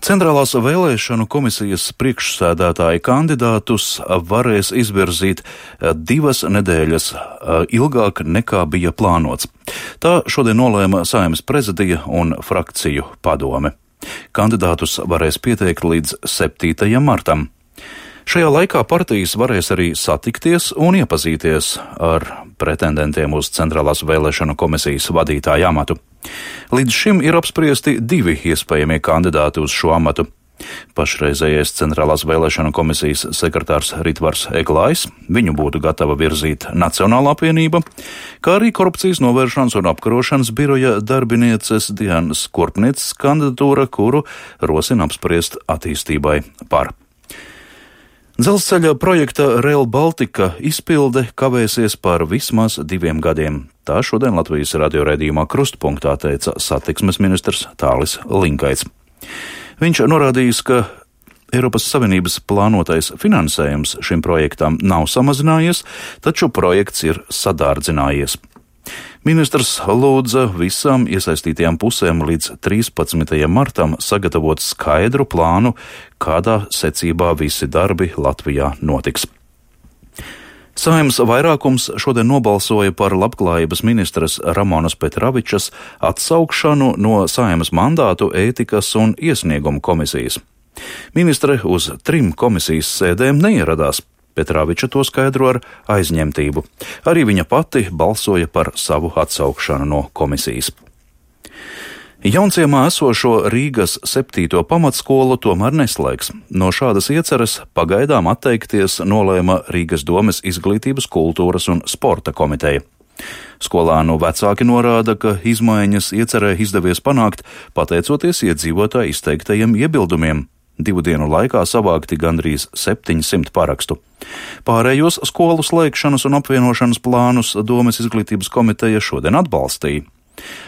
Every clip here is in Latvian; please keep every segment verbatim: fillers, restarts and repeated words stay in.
Centrālās vēlēšanu komisijas priekšsēdētāja kandidātus varēs izvirzīt divas nedēļas ilgāk nekā bija plānots. Tā šodien nolēma Saeimas prezidija un frakciju padome. Kandidātus varēs pieteikt līdz septītajam martam. Šajā laikā partijas varēs arī satikties un iepazīties ar pretendentiem uz Centrālās vēlēšanu komisijas vadītāja amatu. Līdz šim ir apspriesti divi iespējamie kandidāti uz šo amatu. Pašreizējais Centrālās vēlēšanu komisijas sekretārs Ritvars Eglājs, viņu būtu gatava virzīt Nacionālā apvienība, kā arī korupcijas novēršanas un apkarošanas biroja darbinieces Dianas Kurpnieces kandidatūra, kuru rosina apspriest attīstībai par. Dzelzceļa projekta Rail Baltica izpilde kavēsies par vismaz diviem gadiem. Tā šodien Latvijas radio raidījumā Krustpunktā teica satiksmes ministrs Tālis Linkaits. Viņš norādījis, ka Eiropas Savienības plānotais finansējums šim projektam nav samazinājies, taču projekts ir sadārdzinājies. Ministrs lūdza visām iesaistītajām pusēm līdz trīspadsmitajam martam sagatavot skaidru plānu, kādā secībā visi darbi Latvijā notiks. Saeimas vairākums šodien nobalsoja par labklājības ministres Ramonas Petravičas atsaukšanu no Saeimas mandātu ētikas un iesniegumu komisijas. Ministre uz trim komisijas sēdēm neieradās. Petraviča to skaidro ar aizņemtību. Arī viņa pati balsoja par savu atsaukšanu no komisijas. Jaunciemā esošo Rīgas septīto pamatskolu tomēr neslēgs. No šādas ieceres pagaidām atteikties nolēma Rīgas domes izglītības, kultūras un sporta komiteja. Skolānu vecāki norāda, ka izmaiņas iecerē izdevies panākt pateicoties iedzīvotāju izteiktajiem iebildumiem. Divu dienu laikā savākti gandrīz septiņsimt parakstu. Pārējos skolu slēgšanas un apvienošanas plānus domes izglītības komiteja šodien atbalstīja.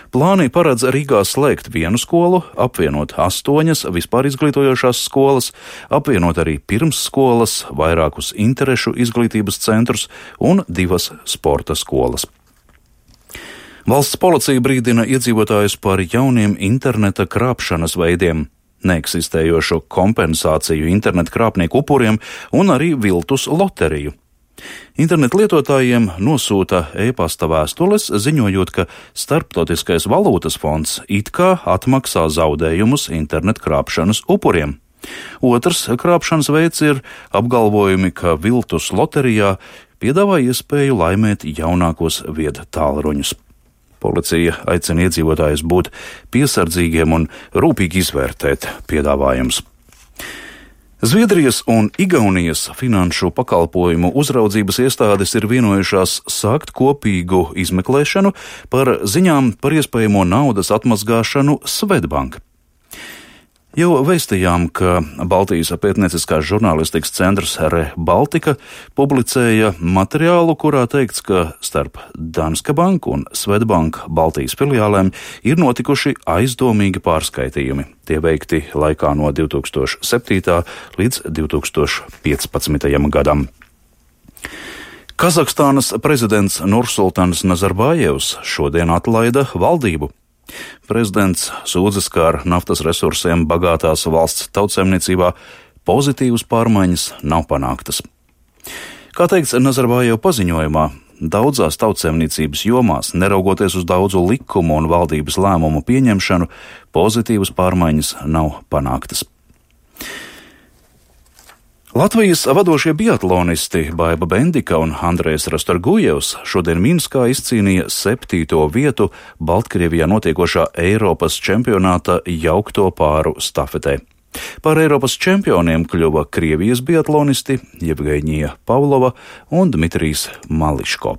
Plāni paredz Rīgā slēgt vienu skolu, apvienot astoņas vispār izglītojošās skolas, apvienot arī pirmsskolas, vairākus interešu izglītības centrus un divas sporta skolas. Valsts policija brīdina iedzīvotājus par jauniem interneta krāpšanas veidiem, neeksistējošu kompensāciju internetu krāpnieku upuriem un arī viltus loteriju. Internetu lietotājiem nosūta e-pasta vēstules, ziņojot, ka Starptautiskais valūtas fonds it kā atmaksā zaudējumus internetu krāpšanas upuriem. Otrs krāpšanas veids ir apgalvojumi, ka viltus loterijā piedāvā iespēju laimēt jaunākos vieda tālruņus. Policija aicina iedzīvotājus būt piesardzīgiem un rūpīgi izvērtēt piedāvājumus. Zviedrijas un Igaunijas finanšu pakalpojumu uzraudzības iestādes ir vienojušās sākt kopīgu izmeklēšanu par ziņām par iespējamo naudas atmazgāšanu Swedbank. Jau vēstījām, ka Baltijas pētnieciskās žurnālistikas centrs Re Baltica publicēja materiālu, kurā teikts, ka starp Danske Bank un Swedbank Baltijas filiālēm ir notikuši aizdomīgi pārskaitījumi. Tie veikti laikā no divi tūkstoši septītā līdz divi tūkstoši piecpadsmitajam gadam. Kazahstānas prezidents Nursultans Nazarbājevs šodien atlaida valdību. Prezidents sūdzas, ka ar naftas resursiem bagātās valsts tautsaimniecībā pozitīvas pārmaiņas nav panāktas. Kā teikts Nazarbājeva paziņojumā, daudzās tautsaimniecības jomās, neraugoties uz daudzu likumu un valdības lēmumu pieņemšanu, pozitīvas pārmaiņas nav panāktas. Latvijas vadošie biatlonisti Baiba Bendika un Andrejs Rastorgujevs šodien Minskā izcīnīja septīto vietu Baltkrievijā notiekošā Eiropas čempionāta jaukto pāru stafetē. Par Eiropas čempioniem kļuva Krievijas biatlonisti Jevgeņija Pavlova un Dmitrijs Mališko.